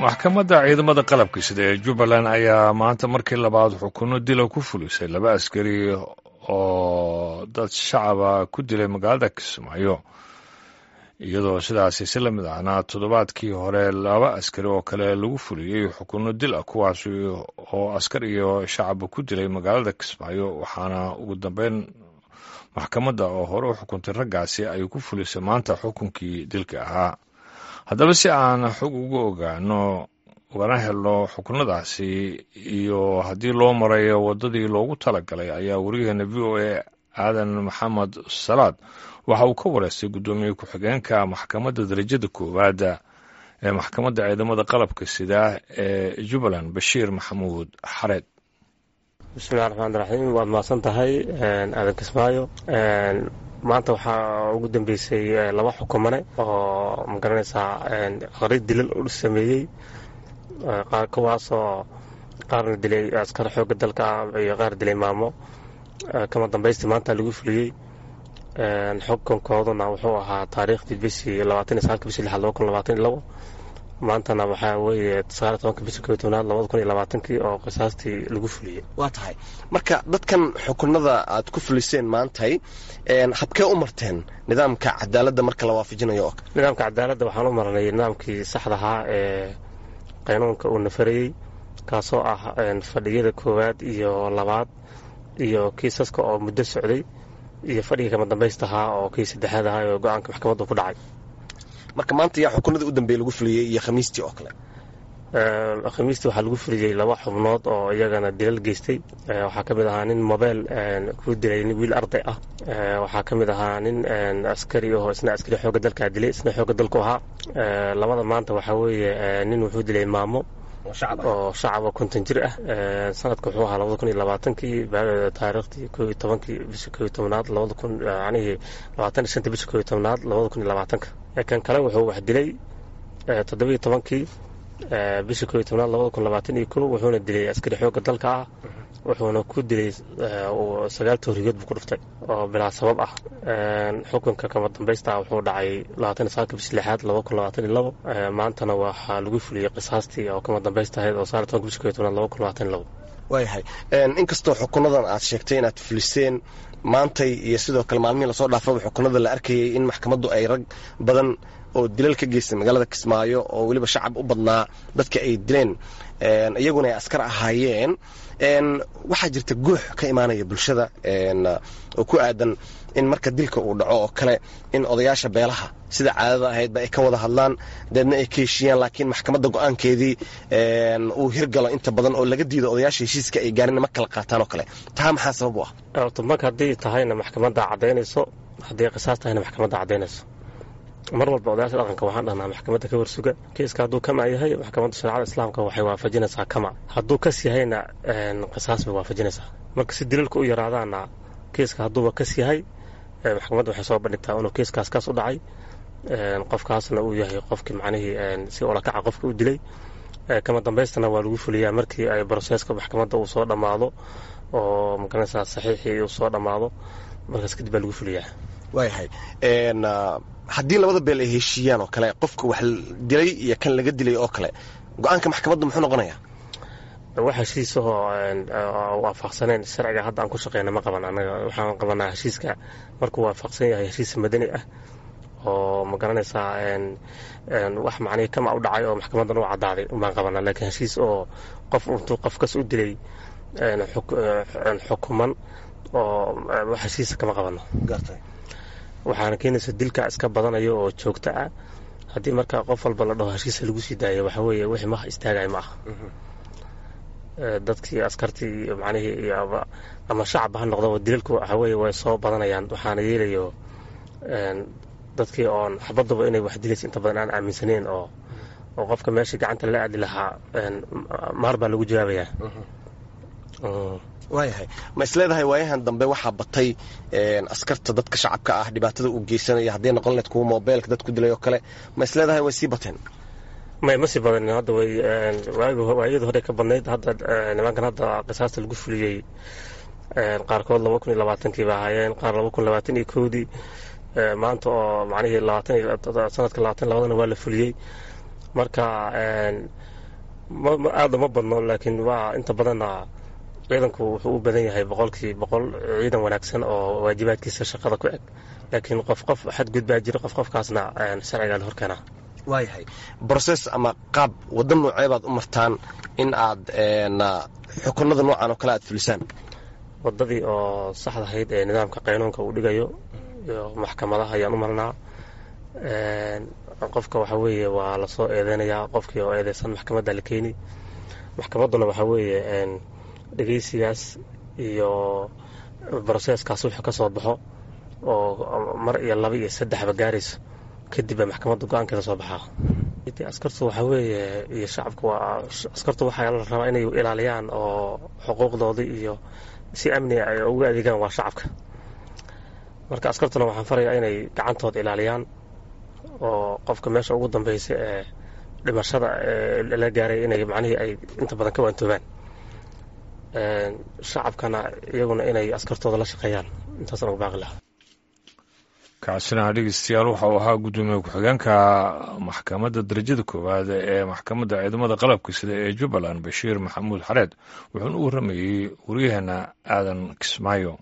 Maxkamadda ciidamada qalabka sida ee Jubbaland ayaa maanta markii labaad xukunno dila ku fulisay laba askari oo dad shacaba ku dilay magaalada Kismaayo, iyadoo sidaasi si lamid ahna toddobaadkii hore laba askari oo kale lagu fuliyey xukunno dil ah, kuwaas oo askar iyo shacaba ku dilay magaalada Kismaayo. Waxaana ugu dambeyn maxkamadda oo hore u xukuntay raggaasi ay ku fulisay maanta xukunkii dilka ahaa. Haddaba, si aan xog uga ogaano ugana helno xukunadaasi iyo haddii loo marayo waddadii loogu talagalay, ayaa wariyaheena VOA Aadan Maxamed Salaad waxa uu ka wareystay guddoomiye ku-xigeenka maxkamadda darajada koowaada ee maxkamadda ciidamada qalabka sida ee Jubbaland, Bashiir Maxamuud Xareed. Bismillahi raxmaan raxiim. Waad mahadsan tahay, Aadan Kismaayo. Maanta waxaa ugu dambeysay laba xukumane oo, magaranaysaa, qari dilal u sameeyey, qaar kuwaasoo qaarna dilay askar xoogga dalka ah iyo qaar dilay maamo. Kama dambaystii maanta lagu fuliyey. Xukunkooduna wuxuu ahaa taariikhdii bishii 29-ka bishii lixaad 2022. Maantana waxaa weeye 19-ka bishii 11-aad 2020-kii oo qisaastii lagu fuliyey. Waa tahay. Marka dadkan xukunada aad ku fuliseen maantay, habkee u marteen nidaamka cadaaladda marka la waafajinayo? Oo nidaamka cadaaladda waxaan u marnay nidaamkii saxda ahaa ee qaynuunka uu nafarayey, kaasoo ah fadhiyada koowaad iyo labaad iyo kiisaska oo muddo socday iyo fadhiga kama dambaysta ahaa oo kii saddexaad ahaa oo go-aanka maxkamaddu ku dhacay. Marka maanta yaa xukunadii u dambeeyey lagu fuliyey iyo Khamiistii oo kale? Khamiistii waxaa lagu fuliyey laba xubnood oo iyagana dilal geystay. Waxaa ka mid ahaa nin mobeel ku dilay wiil arday ah. Waxaa ka mid ahaa nin askari oo isna askari xoogga dalkaa dilay, isna xoogga dalku ahaa. Labada maanta waxaa weeye nin wuxuu dilay maamo oo shacaba 50 jir ah. Sanadka wuxuu ahaa 2020-kii, taariikhdii 11-kii bishii 11-aad 2000, yacnihii 25-ta bishii 11-aad 2020-ka. Kan kale wuxuu wax dilay 17-kii bishii 11-aad 2021, wuxuuna dilay askari xoogga dalka ah, wuxuuna ku dilay 9 toorigood buu ku dhuftay oo bilaa sabab ah. Xukunka kama dambaysta wuxuu dhacay 29-ka bishii lixaad 2022. Maantana waxaa lagu fuliyey qisaastii oo kama dambaysta ahayd oo 19-ka bishii 11-aad 2022. Waayahay. Inkastoo xukunadan aad sheegtay inaad fuliseen maantay iyo sidoo kale maalmihii lasoo dhaafaba xukunada la arkayay in maxkamaddu ay rag badan oo dilal ka geystay magaalada Kismaayo oo weliba shacab u badnaa dadka ay dileen, iyaguna ay askar ahaayeen, waxaa jirta guux ka imaanaya bulshada oo ku aadan in marka dilka uu dhaco oo kale in odayaasha beelaha sida caadada ahaydba ay ka wada hadlaan, deedna ay ka heshiiyaan, laakiin maxkamadda go-aankeedii uu hirgalo inta badan oo laga diido odayaasha heshiiska ay gaarin ma kala qaataan oo kale. Taa maxaa sabab u ah? Marka haddii tahayna maxkamadda caddaynayso, haddii qisaas tahayna maxkamadda caddaynayso. Mar walba odayaasha dhaqanka waxaan dhahnaa maxkamadda ka warsuga. Kiiska hadduu kama yahay, maxkamadda shareecada islaamka waxay waafajinaysaa kama. Hadduu kas yahayna, qisaas bay waafajinaysaa. Marka si dilalka u yaraadaana, kiiska hadduuba kas yahay, maxkamadda waxay soo bandhigtaa inuu kiiskaas kas u dhacay, qofkaasna uu yahay qofkii macnihii si olakaca qofka u dilay. Kama dambaystana waa lagu fuliyaa markii ay broseska maxkamadda uu soo dhammaado oo, magaranaysaa, saxiixii uu soo dhammaado. Markaas kadib baa lagu fuliyaa. Waayahay. Haddii labada beel ay heshiiyaan oo kale, qofka wax dilay iyo kan laga dilay oo kale, go-aanka maxkamadda muxuu noqonayaa? Wax heshiisahoo waafaqsaneen sharciga hadda aan ku shaqeyna ma qaban anaga. Waxaan qabanaa heshiiska markuu waafaqsan yahay heshiis madani ah oo, ma garanaysaa, wax macnihii kama u dhacay oo maxkamaddan u caddaaday baan qabanaa. Laakiin heshiis oo qof intuu qofkas u dilay xukuman oo wax heshiisa kama qabano. Waxaana keenaysa dilka iska badanayo oo joogto ah. Haddii marka qof walba la dhaho heshiisa lagu sii daayo, waxa weeye wixii ma istaagay ma aha. Dadkii askartii iyo macnihii iyo ama shacabba ha noqdaba, dilalku waxa weeye way soo badanayaan. Waxaana yeelayo dadkii oon xabaduba inay wax dilaysa inta badan aan aaminsaneyn oo qofka meesha gacanta la aadi lahaa maar baa lagu jawaabayaa. Waayahay. Ma isleedahay waayahan dambe waxaa batay askarta dadka shacabka ah dhibaatada uu geysanaya, hadday noqon lahayd kuwa mobeelka dad ku dilay oo kale, ma isleedahay way sii bateen? May, ma sii badanin. Hadda way waayadii hore ka badnayd. Hadda nimankan hadda qisaasta lagu fuliyey qaarkood 2020-kii ba ahaayeen, qaar 2021-dii. Maanta oo macnihii 20 sanadka 22-dana waa la fuliyey. Marka aada uma badno, laakiin waa inta badanna ciidanku wuxuu u badan yahay 100% ciidan wanaagsan oo waajibaadkiisa shaqada ku eg, laakiin qof qof xadgudbaa jira, qof qofkaasna sharcigaa la horkeenaa. Waayahay, brocess ama qaab waddo noocee baad u martaan in aad xukunada noocan oo kale aad fulisaan? Waddadii oo saxda ahayd ee nidaamka qaynuunka uu dhigayo iyo maxkamadaha ayaan u marnaa. Qofka waxaa weeye waa lasoo eedeynayaa, qofkii oo eedeysan maxkamadda la keeni, maxkamadduna waxaa weeye dhegeysigaas iyo broseeskaas wuxuu ka soo baxo oo mar iyo laba iyo saddexba gaarayso, kadib baa maxkamadda go-aankeeda soo baxaa. Askartu waxaa weeye iyo shacabku waa askartu waxaa la rabaa inay ilaaliyaan oo xuquuqdoodii iyo si amniga ay ugu adeegaan waa shacabka. Marka askartuna waxaan farayaa inay gacantooda ilaaliyaan oo qofka meesha ugu dambeysa ee dhimashada la gaaray inay macnihii ay inta badan ka waantoobaan, shacabkana iyaguna inay askartooda la shaqeeyaan. Intaasaan ugu baaqi lahaa. Kaasina dhegeystayaal waxa uu ahaa guddoomiye ku-xigeenka maxkamadda darajada koowaad ee maxkamadda ciidamada qalabka sida ee Jubbaland, Bashiir Maxamuud Xareed, wuxuuna u warramayey waryaheena Aadan Kismaayo.